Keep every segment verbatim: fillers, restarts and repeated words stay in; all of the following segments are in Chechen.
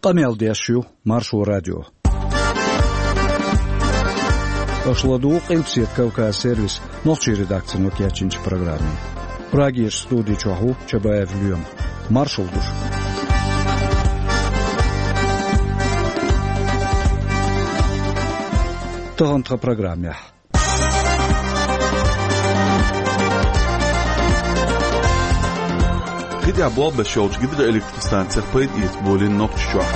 Къамел деш ю Маршо радио. Аша ладугӀу Къилбаседа Кавказ сервисан нохчийн редакцино кечйинчу программе. Прагерчу студи чохь ву Чабаев Лоьма. Маршалла ду шуьга. Тахана тхан программехь. КхидӀа болх беш йолчу гидроэлектростанцех пайда эца болийна Нохчийчохь.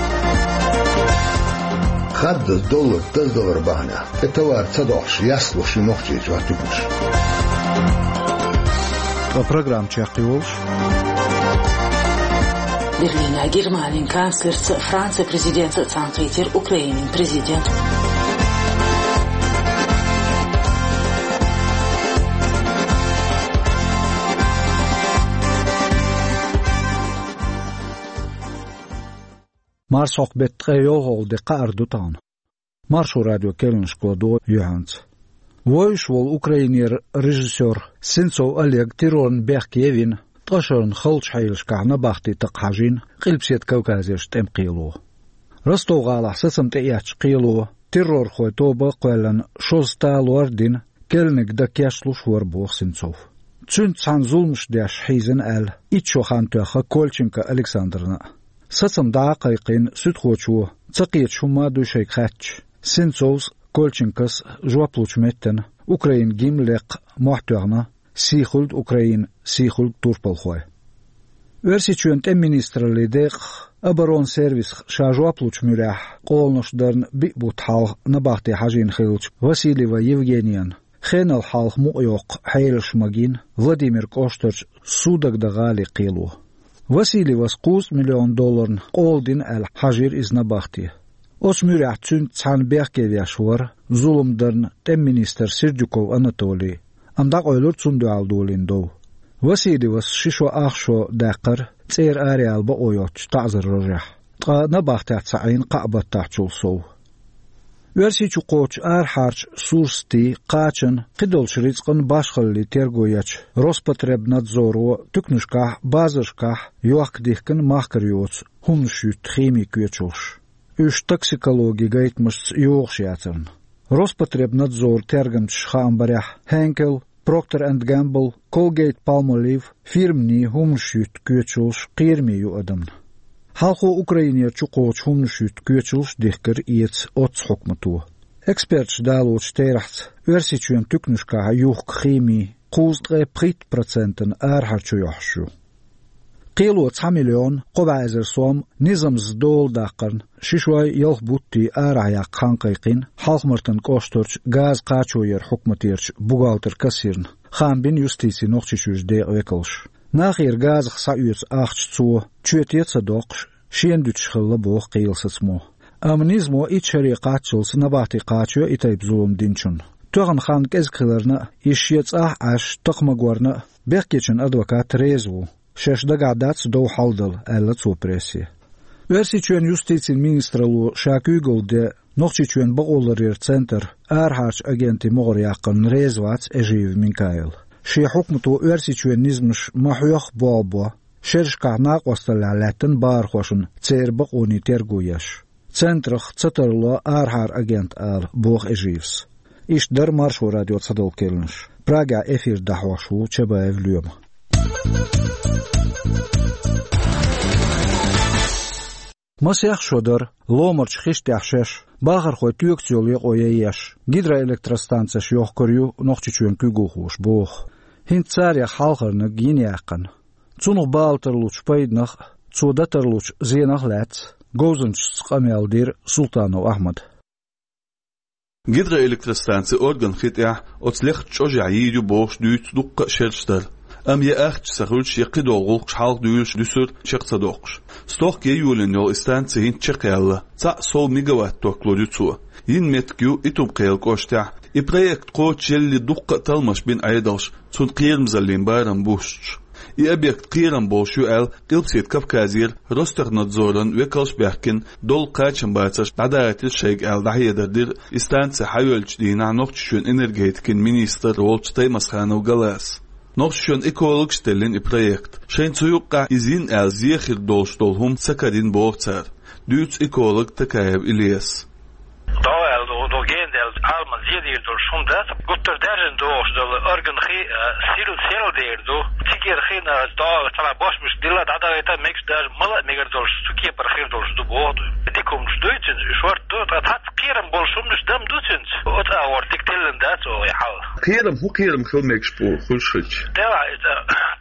Хаддаза доллар даздалар бахьана, тӀе товар ца доккхуш, яслуш ю Нохчийчохь туьканаш. Ткъа программа чекхйолуш. Берлинехь Германин канцлерца, Францин президентца цхьаьнакхийтира Украинин президент. Марсхьокху беттан ткъе йолхалгӀа де кхаара ду тахана. Маршо радион керланашка ладогӀа юьхьанца. Вовзаш волу Украинера режиссёр Сенцов Олег террорна бехке вина, ткъа шарна халчу хьелашкахь набахти такха хьажийна Къилбаседа Кавказерчу тӀеман кхело. Ростов-гӀалахь сацам тӀеэцначу кхело террорхойн тоба а кхоьллина, шозза талор а дина, керланиг дан кечлуш вара, боху Сенцов. Цуьнца цхьаьна зуламаш деш хьийзина аьлла, итт шо хан тоьхна Кольченко Александрна а. Сацам дӀа а кхайкхийна суьдхочо, ца кхеташ хӀумма а дуй шайга хаьттича, Сенцовс а, Кольченкос а жоп лучу меттана Украинан гимн лекха мохь тоьхна: «Сий хуьлда, Украина, сий хуьлда, турпалхой». Оьрсийчоьнан тӀеман министраллин декъах, оборонан сервисах ша жоп лучу муьрехь, къоланаш дарна биъ бутт хьалха набахти хьажийна хиллачу Васильева Евгенияна хенал хьалха мукъа йоккху хьелаш магийна Владимир кӀоштарчу Судогда-гӀалин кхело. Васильевас кхузткъа миллион долларна къола дина аьлла хьажийра иза набахте. Оцу муьрехь цуьнца цхьаьна бехке веш вара зулам дарна тӀеман министр Сердюков Анатолий, амма дӀакъевлира цунна дуьхьал долийна дов. Васильевас ши шо ах шо даьккхира цӀера араяла бакъо йоцучу таӀзар рожехь, ткъа набахтехь ца Ӏийна кхаа баттахьчул сов. Оьрсийчу кхочучу арахьарчу сурсатийн, кхачанан, кхидолчу рицкъан башхаллин терго ечу Роспотребнадзоро туьканашкахь, базаршкахь йохка дихкина махкара йоцу хӀуманаш юьтту химин коьчалш, уьш токсикологин гайтамашца йогӀуш яцарна. Роспотребнадзоран тергамчаша хаам барехь, Henkel, Procter and Gamble, Colgate-Palmolive фирманийн хӀуманаш юьтту коьчалш кхераме ю адамна. Хьалхо Украинера чукхочу хӀуманаш юьтту коьчалш дихкира эца оццу хьукмато. Эксперташа далочу терахьца, Оьрсийчоьнан туьканашкахь юхку химин кхузткъе пхийтта процентана арахьара чу йохьуш ю. Кхело цхьа миллион кхо бӀе эзар сом низамца дола даккхарна, ши шой ялх бутт арахь яккха хан кхайкхийна Хьалха-Мартан кӀоштарчу газа кхачо яран хьукматерчу бухгалтер-кассирна, хаам бина юстицин Нохчийчуьрчу декъан векалша. Нахера газах схьаоьцу ахча цо, чоьте а ца доккхуш, шена дуьтуш хилла, боху кхелан сацамо. Амма низамо итт шаре кхаччалц набахти кхачайо и тайпа зулам динчунна. Тоьхна хан кӀезиг хиларна а, иза шен цӀахь а Ӏаш, тахмагорна а бехкечун адвокат реза ву. Шаьш дагахь дац дов хьалдала, аьлла цо прессе. Оьрсийчоьнан юстицин министралло ша куьйгалла ден Нохчийчоьнан бакъоларъяран центр арахьарчу агентийн могӀаре яккхарна реза вац Эжиев Минкаил. Шен хьукмато Оьрсийчоьнан низамаш ма хьоьхху болх бо, шерашкахь накъосталлехь лаьттина бахархошна церан бакъонийн терго еш. Центрах ца тарло арахьара агент ала, боху Эжиевс. Иштта дара Маршо радион цхьадолу керланаш. Прагехь эфир дӀахьош ву Чабаев Лоьма. Масех шо дара, ломарчу хиш тӀехь шаьш, бахархой тоьгуш йолу екъо ян еш, гидроэлектростанцеш йохкур ю Нохчийчоьнан куьйгалхоша, боху. ХӀинца царех хьалхарниг йина яьккхина. Цунах бала тарлучу пайданах а, цо дан тарлучу зенах а лаьцна говзанчашца къамел дира Султанов Ахьмада. Гидроэлектростанци Орган хи тӀехь оцу лехачу чӀожехь йийр ю бохуш дуьйцу дуккха а шераш дара. Амма я ахча ца хуьлуш, я кхидолу гӀуллакхаш хьалха дуьйлуш дуьсура чекх ца доккхуш. Стохка ян йолийна йолу и станци хӀинца чекхъяьлла, цхьаъ сов мегаватт ток лур ю цо. Йина меттиг ю Итум-Кхелан кӀоштехь, и проект кхочушъеллалц дуккха а талламаш бина Ӏедалша, цунна кхерамзаллин барам буссуш. И объект кхерам болуш ю аьлла, Къилбаседа Кавказера Ростехнадзоран векалш а баьхкина, долу кхачамбацарш дӀадахийтира шайга аьлла, дӀахьедар дира и станци хьайоьллучу дийнахь Нохчийчоьнан энергетикин министр волчу Таймасханов Галаса. Нохчийчоьнан экологаша теллина и проект. Шайна цу юккъехь иза йина аьлла зен хир долуш долу хӀума ца карийна, боху цара. Дуьйцу эколог Такаев Ильяс. ДӀо аьлла ду, ду гендаьлла, Ӏаламан зен дийр долуш хӀума дац, гуттар даьржина догӀуш долу орган хи, а, сирла, серла дер ду, цигара хина, дӀо, цхьана бошмаш дилла, дӀадахийта, мегаш даже мала а мегар долуш, цу кепара хир долуш ду боху ду. Дика хӀуманаш дуй цуьнца, шорта ду, ткъа цхьацца кхерам болуш хӀуманаш дам ду цуьнца. Оцу агӀор дика теллина дац оха и хьал. Кхерам, хӀун кхерам хила мегаш бу хуьлуш хилча? Делахь иза,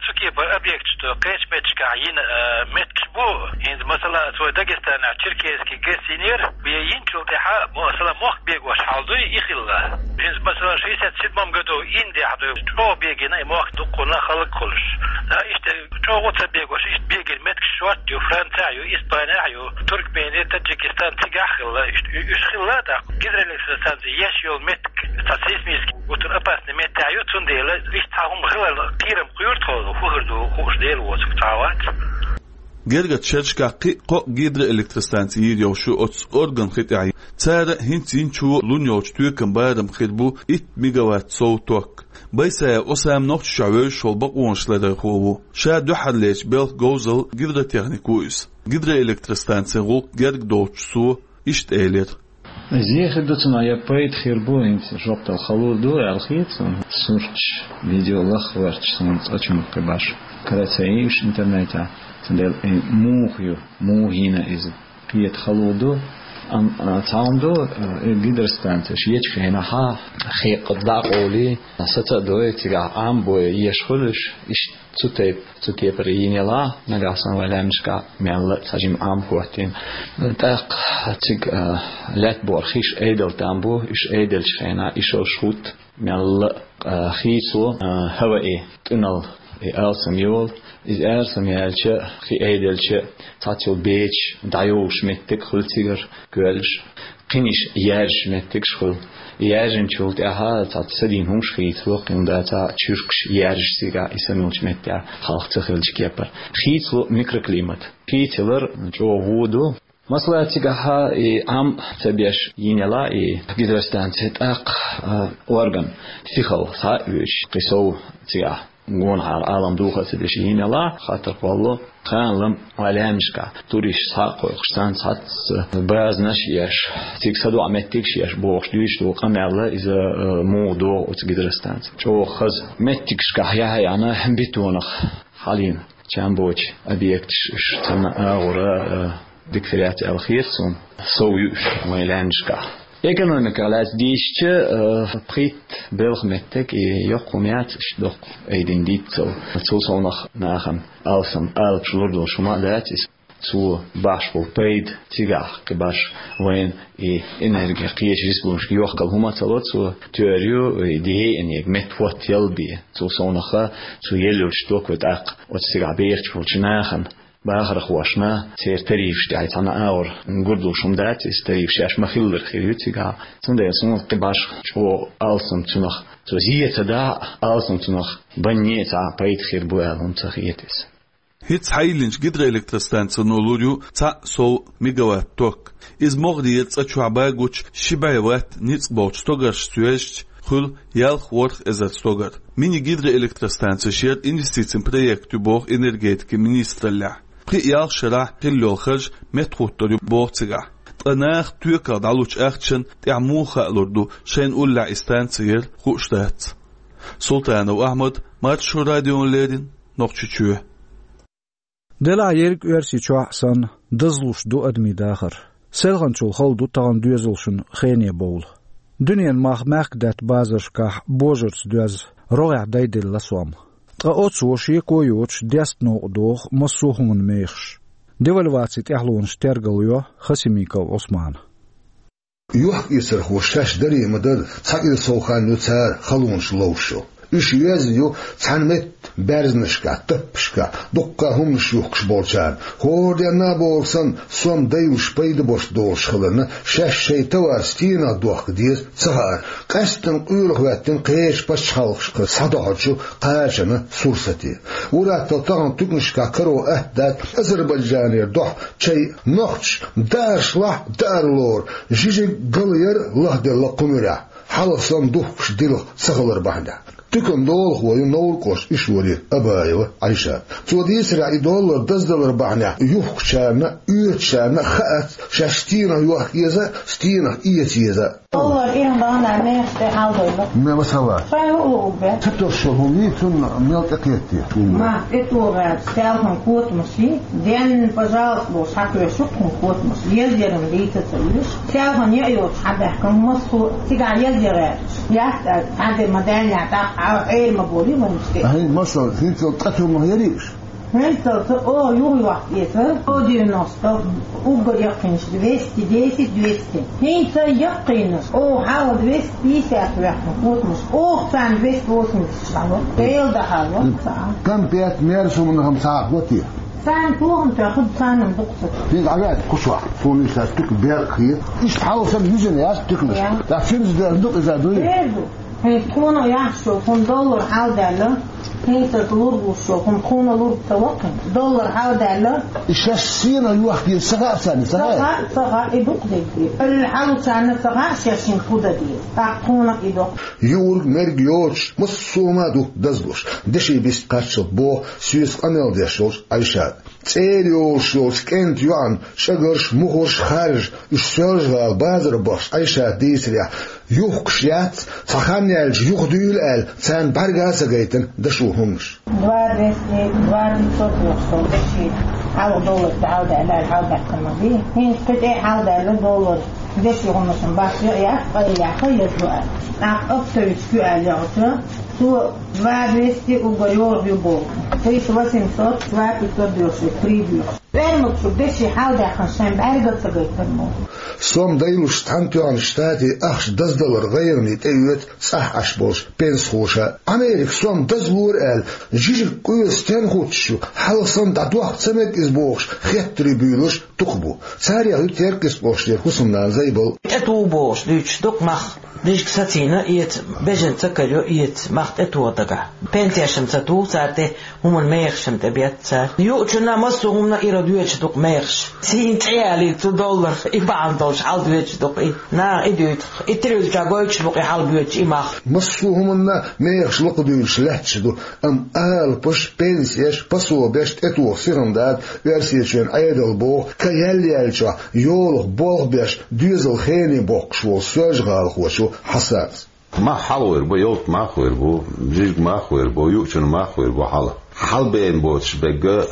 цу кепара объекташ ду, кхечу меттигашкахь йина, а, мет- Бу, хӀинца, масала, цо Дагестанехь Черкесский ГЭС йинера, бен йинчул тӀаьхьа, масала, мохк бегош хьал дуй, и хилла. ХӀинца, масала, шестьдесят седьмом году Индехь дуй, чӀогӀа бегина и мохк дуккхунна халаг хуьлуш. Да, иштта чӀогӀа ца бегош, иштта бегина меттигаш шорта ю, Францехь ю, Испанехь ю, Туркмени, Таджикистан цигахь хилла, иштта уьш хилла, тӀаккха гидроэлектростанция еш йолу меттиг, цхьа сейсмически гуттар опасный меттехь ю, цундела иштта цхьа хӀума хиларна кхерам кхоьру тхо, хӀун хир ду, хууш Дела воцург цхьа а вац. Гергарчу шерашкахь кхин а кхо а гидроэлектростанци йийр йолуш ю оцу орган хи тӀехь. Цара хӀинца йинчу лун йолчу тоькан барам хир бу итт мегаватт сов ток. Байсаев Осам Нохчийчохь вевзаш волу бакъонаш ларархо ву. Ша дуьххьарлечу белхан говзалла гидротехник ву иза. Гидроэлектростанцин гӀуллакх герга доцуш цо иштта элира. Иза хир ду цунах я пайда хир бу, хӀинца жоп дала хала ду аьлла хета суна. Сурташ, видео лахварчаш суна цкъачунна кхин баш. Караца йийш интернетехь, цундела и муха ю, муха йина иза. Кхета хала ду, ам-, а, цхьа хӀума ду, а, и гидростанцеш ечу хенахь хекъа дӀа а къовлий, саца а дой, цигахь Ӏам бой еш хуьлуш, иштта цу тайпа, цу кепара йина ялахь, нагахь санна вайн лаьмнашкахь мелла а цхьа жима Ӏам хӀоттийна. ТӀаккха цига, а, лаьтта бохург хиш айдалла там бу, уьш айделлачу хенахь и шалш хӀутту, мелла а, а, хийцало, а, хӀаваъ и тӀуьналла и алсам йолу. Иза алсам яьлча, хи айделча, цхьацца йолу бечаш дӀайовлуш меттиг хуьлу цигара, коьллаш. Кхин иштта яьржаш меттигаш хуьлу. Яьржинчул тӀаьхьа цхьацца садийна хӀумаш хийцало, кхин дацахь чуьркаш яьржаш цигахь и самолчу меттехь хьалха ца хиллачу кепара. Хийцало микроклимат. Хийцалар чӀогӀа вон ду. Масала, цигахь и Ӏам ца беш йина ялахь и гидростанци, тӀаккха, а, орган сихалла схьа а оьшуш, кхин сов цигахь гонахьара Ӏалам духар ца деш йина ялахь, хаттар кхоллало, кхана-м вайн лаьмнашкахь туристаш схьа а кхойкхуш, царна цхьацца базанаш а еш, цига садоӀу меттигаш а еш бохуш дуьйцуш ду къамел, иза, а, муха догӀу оцу гидростанци. ЧӀогӀа хаза меттигашкахь яхьа яхьана бетонах хьалийна чам боцу объекташ, уьш царна агӀора, а, дика хир яц аьлла хета суна, сов ю уьш вайн лаьмнашкахь. Экономиках лаьцна дийшича, а, пхийтта белхан меттиг и йоккха хӀума яц, иштта доккха айдина дийццал. Цул совнах нахана алсам алапаш лур долуш хӀума а дац иза. Цо бахьаш болу пайда цигахь кхин баш вайн и энерги кхечу республикашка йохкал хӀума а ца ло цо, тера ю и дехьа а энерги метта хӀоттаялла бен. Цул совнаха цо елла йолчу ток вай тӀаккха оцу цигахь бехачу болчу нахана, бахархошна, церан тарифаш тӀехь цхьана агӀор гур долуш хӀума дац, иза тарифаш шаьш ма-хиллара хир ю цигахь. Цундела суна кхин баш чӀогӀа алсам цунах, цо зен ца дахь а, алсам цунах банне а цхьа пайда хир бу аьлла хӀума ца хета иза. ХӀинца хьайиллинчу гидроэлектростанцино лур ю цхьаъ сов мегаватт ток. Иза могӀарера цӀа чохь багучу ши бӀе ватт ницкъ болчу стогаршца йоьзча, хуьлу ялх ворхӀ эзар стогар. Мини-гидроэлектростанцеш яра инвестицийн проект ю боху энергетикин министраллехь. Пхи-ялх шарахь хилла йолу харж меттахӀуттур ю боху цигахь. Ткъа наха тоьках дӀалучу ахчанна тӀехь муха хаалур ду, шайна уллехь и станци яра, хууш дац. Султанов Ахьмад, Маршо радиона леррина, Нохчийчоь. Делахь ерриг Оьрсийчохь а санна, дазлуш ду адамийн дахар. Селханчул хала ду тахана доьзалшна хене бовла. Дуьненан мах мехкадаьтта базаршкахь божарца доьзна, рогӀехь дайделла сом. Ткъа оцо шеко йоцуш деста новкъа доху массо а хӀуманан мехаш. Девальвацин тӀаьхьалонаш тергал йо Хасимиков Ӏусмана. Йохк-эцархоша шаьш даре ма-дарра, цхьа кӀира сов хан ю цара халонаш ловш йолу. Уьш йоьзна ю цхьана метта баьрзанашкахь, таппашкахь, дуккха хӀуманаш юхкуш болчарна. ХӀора денна а бохург санна, сом дайлуш пайда бош долуш хиларна, шаьш шайн товар стенах дохка деза ца хаьара, къаьсттина къоьлла хӀоьттина кхечу пачхьалкхашкара схьадохьучу кхачанан сурсате. Ур-атталла тахана туьканашкахь каро атта дац Азербайджанера дохьа чай, нохчаша дааршлахь а, даар лору жижиг гал яр лахделла кху муьрехь, хьалха санна духкуш дилха ца хилар бахьанехь. Туькан долахо ю Новр-кӀоштан Ишвари Абаева Ӏайшат. Цо дийцарехь, и доллар даздалар бахьанехь юхкучарна а, оьцучарна а хаац, шаьш стенах йохка еза а, стенах эца еза а. Доллар иран бахьана мехаш тӀе хьалдойла. Ме масала. Шайн хӀуъа угбе. Ца тосуш хӀума йий, цунна мел тӀекхетте? Ма, тӀетогӀа, селхана котамаш йий, ден, пожалуйста, бохуш, хьакхоьшу кхунна котамаш. Езъяран дийца ца вуьйш, селхана яа йоцуш хьабаьхкина массо а цигахь езъян гӀерташ. Яц аьлла, цхьа де ма даьллехь, тӀаккха Ӏа Ӏер ма болий вайна тӀе. Ахьа, масала, хӀинццалц цкъа тумах ярий уьш? ХӀинццалц оха юхайохка эца, сто девяносто, уггар яккхийнарш двести десять, двести. ХӀинца яккхийнарш, оха хьалха двести пятьдесят ваьккхина котамаш, оха царна двести восемьдесят хьало. Дела дан хьало. М. Цхьа. Конфет, мерза хӀуманах-м цхьа а го те? Царна тохам тоьхна, царна-м дукха ца. ХӀинца Ӏа веана кху чохь, суна иштта туька бер а хета. Иштта хьалха санна юьзина яц туьканаш. Я. ТӀаккха цуьнца дер ду иза дуй? Дер ду. ХӀинца тхуна а яхьаш йолу, хӀума доллар хьалдаьлла, хӀинца лург луш йолу, хӀума тхуна лург ца ваккхина, доллар хьалдаьлла. И шаьш сенах йохка еза ца хаьа царна, ца хаьа? Ца хаьа, ца хаьа, и дукха дерг. Эл хьалучарна ца хаьа шаьш хӀинца хӀун дан деза. ТӀаккха тхуна а и доккху. Юург, мерг йоцуш, массо а хӀума ду дазлуш. Деши бист кхаччалц боху соьца къамел деш йолчу Ӏайшата. ЦӀера йолуш йолчу кӀентан йоӀана чӀагарш, мухарш, харжаш, уьш Соьлжа-ГӀала базар бахча Ӏайшата дийцарехь, юхкуш яц, цхьа хан яьлча юхадуьйла аьлла, царна бӀаьрга а ца гайтина дашо хӀуманаш. Два двести, два пятьсот йолуш долу деши хьалха доллар тӀе хьалдаьлла аьлла, хьалдаьккхина ма бий. ХӀинца кхин тӀе а хьалдаьлла доллар, деши хӀуманаш бац, яц, къайлаха еза аьлла. ТӀаккха оптовичка ю аьлла яхача, цо два двести уггар йорах ю боху. Тысяча восемьсот, два пятьсот доьшуш, три доьшуш. Фермерчу деши хьалдаьккхина шайн бӀаьрга ца гайтар мо. Сом дайлуш цхьана тоьхна Штатийн ахча даздалар гӀайгӀане тӀеоьцу цӀахь Ӏаш болчу пенсихоша. Америка сом дазлора аьлла, жижиг къоьсу стенна хуттуш ю, хьалха санна дӀадохка ца мега иза бохуш, хеттаре буьйлуш дукха бу. Царех ю Теркйистан кӀоштара хӀусамнана Зайбал. ТӀетуху бохуш дуьйцуш дукха мах. Дижиг сацийна эца, бежана ца карайо эца, мах тӀетоха дагахь. Пенсеш-м ца туху цара тӀе, хӀуманан мехаш-м тӀебетту цара. Юучунна массо а хӀуманна ира доьдуш ду-кх мехаш. Сийна цӀе ялийта цу долларх, и бахьана долуш хьал доьдуш ду-кх и. Наха и дуьйцу-кх. И тирвилча гойтуш бу-кх и хьал боьдуш и мах. Массо а хӀуманна мехаш лакхадуьйлуш лаьтташ ду, амма алапаш, пенсеш, пособеш тӀетоха сихана дац Оьрсийчоьнан Ӏедало боху, ка яьлла яьллачохь йолах болх беш, доьзал хене боккхуш волу соьлжагӀалахочо Хьасана. Мах хьалхавер бу, ялта мах хир бу, жижиг мах хир бу, юучун мах хир бу хьала. Хьалабеана боцуш берг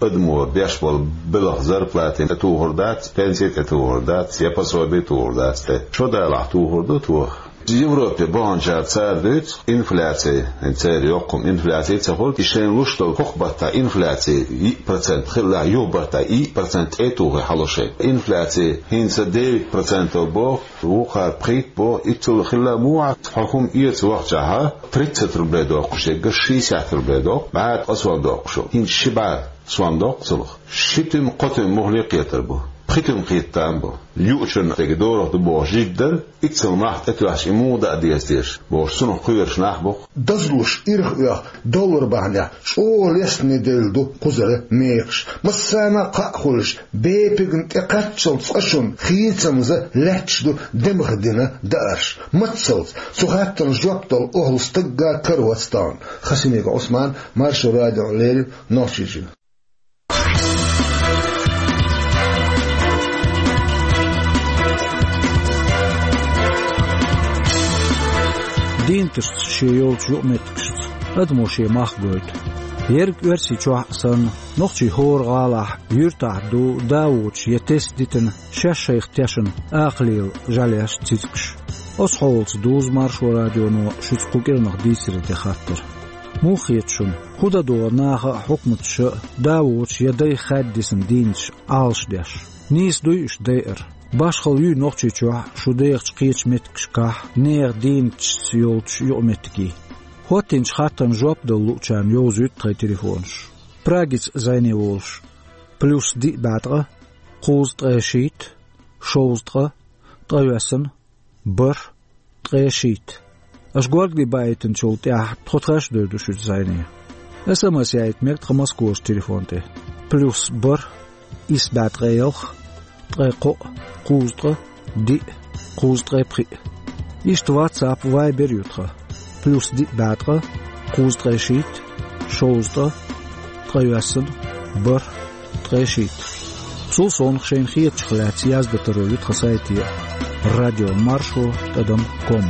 адамо беш болу белхан зарплата тӀетухур дац, пенси тӀетухур дац, я пособи тухур дац тӀе. Шо далахь тухур ду тоха. Европе баханчара цара дуьйцу, инфляция, церан йоккхам инфляция ца хуьлу, и шайна луш долу хӀокху баттахь инфляция йиъ процент хилла, юха баттахь йиъ процент тӀе а тухий хьало шайн. Инфляция хӀинца девять процентов боху, вукхара пхийтта боху, иццул хилла муха хьо хӀума эца вахчахьа, тридцать рублей доккхуш ерг шестьдесят рублей доккху, бӀе ткъа сом доккхуш ву. ХӀинца ши бӀе сом доккху цунах. Ши туьма, кхо туьма мухӀле кхетар бу. Пхи туьма кхетта там бу. Юучунна дерг дорах ду бохуш жижиг дара, иццал мах тӀетоьхча и муха даа деза теша бохуш, цунах кхоьруш нах бу-кх. Дазлуш ирх оьху доллар бахьанехь чӀогӀа лестане девлла ду кхузара мехаш. Массарна а кхаъ хуьлуш, бепигна тӀе кхаччалц цкъа шуна хийцамза лаьтташ ду демха дина даарш. Маццалц цу хаттарна жоп дала охьал стагга каравац тахана. Хасимиков Ӏусман, Маршо радиона леррина, Нохчийчуьра. Дийнаташца шен йолчу юкъаметтигашца адамо шен мах гойту. Ерриг Оьрсийчохь а санна, нохчий хӀора гӀалахь, юьртахь ду, да воцуш я тесна дитина, шаьш шайх тешна акха лела жӀаьлеш, цицкаш. Оцу хьолаца дузу Маршо радионо шуьца кху кӀиранах дийцаре де хаттар. Муха хета шуна, хӀун дан догӀу наха а, хьукматаша а, да воцуш я дайх хаьдда дисина дийнаташ Ӏалашдеш? Нийса дуй уьш дайар? Башхалла юй Нохчийчохь шун дехачу кхечу меттигашкахь нехан дийнаташца йолчу юкъаметтигий? ХӀоттийначу хаттарна жоп дала луучарна йовзуьйту тхайн телефонаш. Прагица зӀене волуш: плюс диъ бӀе ткъа, кхузткъе шийтта, шовзткъа, ткъайоьсна, бархӀ, ткъе шийтта. Аша горгали баийтинчул тӀаьхьа тхо тхаьш а девр ду шуьца зӀене. СМС яийта мега тхан Москварчу телефон тӀе: плюс бархӀ, исс бӀе ткъе ялх, ткъе кхоъ, кхузткъа, диъ, кхузткъе пхиъ. Иштта WhatsApp, Viber ю тхан. Плюс диъ бӀе ткъа, кхузткъе шийтта, шовзткъа, ткъайоьсна, бархӀ, ткъе шийтта. Цул совнаха шайна хетачух лаьцна яздан таро ю тхан сайте: радио маршо тӀадам ком.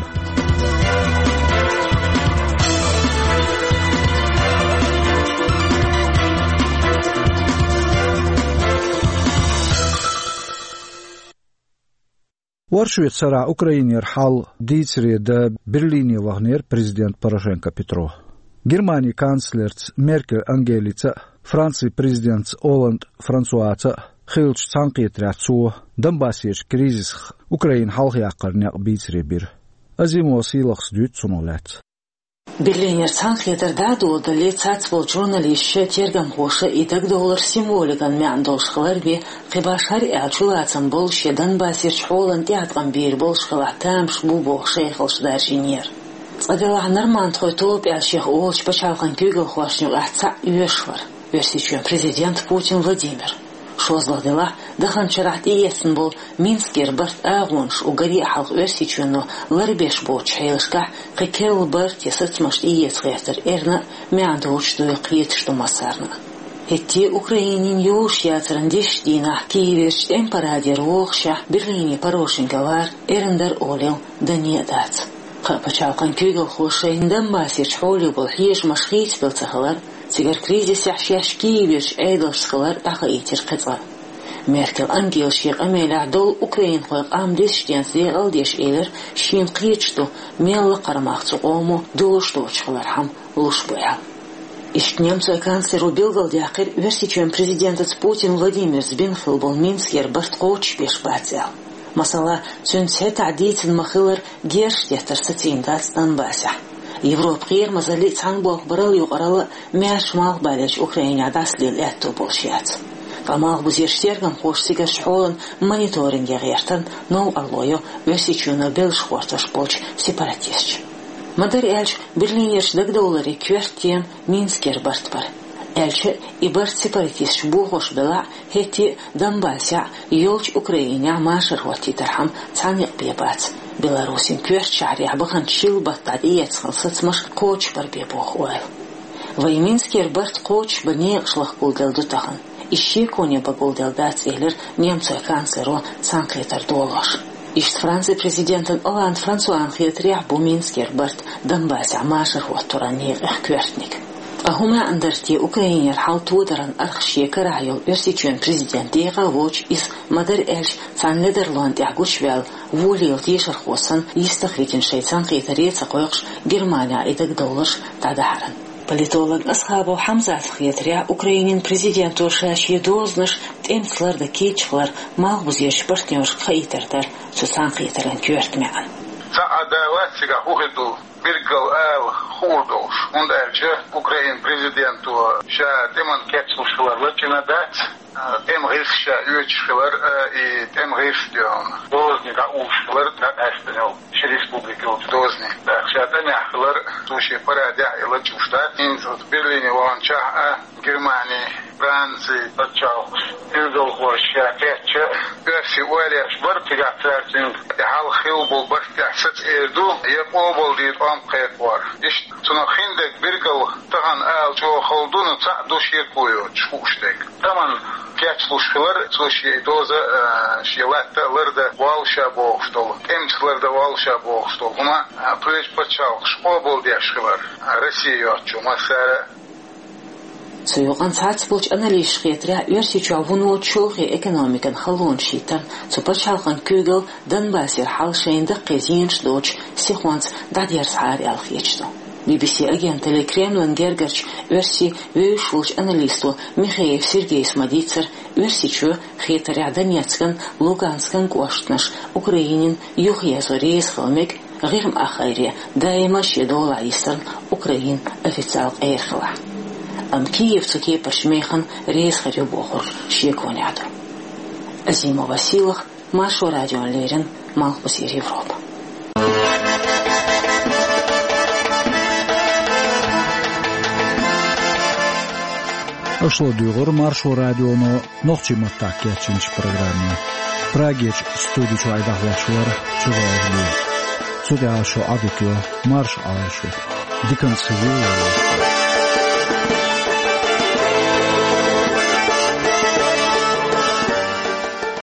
Оршотан сарахь Украинера хьал дийцаре дан Берлине ваханера президент Порошенко Петро. Германин канцлерца Меркель Ангелица а, Францин президентца Олланд Франсуаца а хиллачу цхьаьнакхетарехь цо Донбассерчу кризисах Украина хьалхаяккхаран некъ бийцаре бира. Азимова Сийлахьас дуьйцу цунах лаьцна. Берлинера цхьаьнакхетар дӀа а доладале, цхьаболчу журналисташа, тергамхоша и дагадовлар символикан маьӀна долуш хилар бен, кхин башхара аьлча, чулацам болуш я Донбассерчу хьолан тӀеӀаткъам бийр болуш хилахь тамаш бу бохуш, шайхалш даржийнера. Цкъа делахь, нормандхойн тоба аьлла шех олучу пачхьалкхан куьйгалхошна юкъахь цхьаъ оьшуш вара: Оьрсийчоьнан президент Путин Владимир. ШозлагӀа делахь, даханчу шарахь тӀеэцна болу Минскера барт агӀонаш уггаре а хьалха Оьрсийчоьно ларбеш боцучу хьелашкахь кхин керла барт я сацамаш тӀеэца гӀертар эрна а, маьӀна доцуш дуйла кхеташ ду массарна а. ХӀетте а Украинина йозуш яцаран десачу дийнахь Киеверчу тӀеман парадера вогӀушехь, Берлине Порошенко вар эрна дара олийла дане а дац. Кхаа пачхьалкхан куьйгалхоша шайна Донбассерчу хьоле болу хьежамаш хийцаделла ца хилар, цигара кризисехь шаьш Киеверчу Ӏедалшца хилар дӀахаийтира кхин цкъа. Меркель Ангела шен къамелехь долу украинхойн къам десачу денца декъал а деш элира, шена кхеташ ду, мел лакхара мах цу къомо дозуш доцуш хилархьама луш бу аьлла. Иштта немцойн канцлеро билгалдаьккхира Оьрсийчоьнан президентаца Путин Владимирца бина хилла болу Минскера барт кхочушбеш бац аьлла. Масала, цуьнца хӀетахь дийцина ма-хиллара герзаш деттар сацийна дац Донбассехь. Европан кхерамазаллий, цхьаьнаболх барал а, юкъаралла а маьрша малхбалерчу Украинехь дӀасалела аьтто болуш яц. Ткъа малхбузерчу тергамхоша цигарчу хьолан мониторинге гӀертарна новкъарло йо Оьрсийчоьно беллаш гӀортош болчу сепаратисташа. Ма-дарра аьлча, Берлинерчу дагадовларан коьрта тема Минскера барт бара. Аьлча а, и барт сепаратисташа бохош белахь а, хӀетте а Донбассехь а, йолчу Украинехь а машар хӀоттийтархьама цхьа некъ бен бац, Беларусин коьртачу шахьарехь баханчу шил баттахь тӀеэцна хилла сацамаш кхочушбар бен боху ойла. Вайн Минскера барт кхочушбан некъаш лахкалуш ду тахана. Иза шеконе багалуш дац, элира немцойн канцлеро цхьаьнакхетар долош. Иштта Францин президентан Олланд Франсуан хетарехь бу Минскера барт Донбассехь машар хӀоттаран некъех коьртаниг. Ткъа хӀун маьӀна дара те Украинера хьал тодаран архашка карахь йолу Оьрсийчоьнан президент декъа а воцуш, иза, ма-дарра аьлча, цхьана ледарлонна тӀехь гучуваьлла, волийла тешархо санна, йистах витина шайн цхьаьнакхетаре а ца кхойкхуш, Германехь и дагадовларш дӀадахьаран. Политолог Асхабов Хьамзатан хетарехь, Украинин президенто ша шен дозанаш тӀемца лардан кийча хилар малхбузерчу партнёршка хаийтар дара цу цхьаьнакхетаран коьрта маьӀна. Цхьа а далац цигахь хӀун хир ду, билггал ала хуур долуш, хӀунда аьлча Украинин президенто ша тӀеман кечлуш хилар лачкъийна дац. ТӀеман гӀирс ша оьцуш хилар а, и тӀеман гӀирс доьлхуш дозаниг дӀаухуш хилар дӀакъаьстина йолу ши республика йолчу дозаниг. ТӀаккха ша тӀамехь хилар, цо шен парадехь а и лачкъош дац. ХӀинца оцу Берлине ваханчохь а Германи, Франци пачхьалкхаш, билгалхоша ша кхетча, оьрсий ойла еш бара, цигахь цара цуьнга и хьалха хилла болу барт тӀехь саца эр ду, я къобалдийр тӀом кхайкхор. Иштта цунах хиндерг билггал тахана ала чӀогӀа хала ду, но цхьаъ ду шеко йоцуш хууш дерг. ТӀеман кечлуш хилар, цо шен доза, а, шен латта а лардан воллуш а бохуш долу, тӀемца лардан воллуш а бохуш долу хӀума, а, кхечу пачхьалкхаша къобалдеш хилар, а, Россия йоцучу массара а. Цу юкъанна цхьаццаболчу аналисташа хетарехь, Оьрсийчохь вуно чолхе экономикан халонаш хӀиттарна цу пачхьалкхан куьйгалла Донбассера хьал шайна даккхий зенаш доцуш сихонца дӀадерзахьара аьлла хеташ ду. Би-би-си агенталле Кремлан гергарчу оьрсийн вевзаш волчу аналисто Михеев Сергейс ма-дийццара, Оьрсийчоь хетарехь Донецкан, Луганскан кӀоштанаш Украинина юхаерзо реза хила мега, ГӀирма ахгӀайре даима шен долахь йисарна Украина официал къера хилахь. Амма Киев цу кепарчу механа реза хир ю бохург шеконехь ду. Азимова Сийлахь, Маршо радиона леррина, Малхбузера Европа. Аша ладуьйгӀира Маршо радионо нохчийн маттахь кечйинчу программе. Прагерчу студи чуьра айдахь лоьхуш вара Чураев Леви. Цу тӀа шо Ӏадика йо, марша Ӏойла шо. Диканца ву.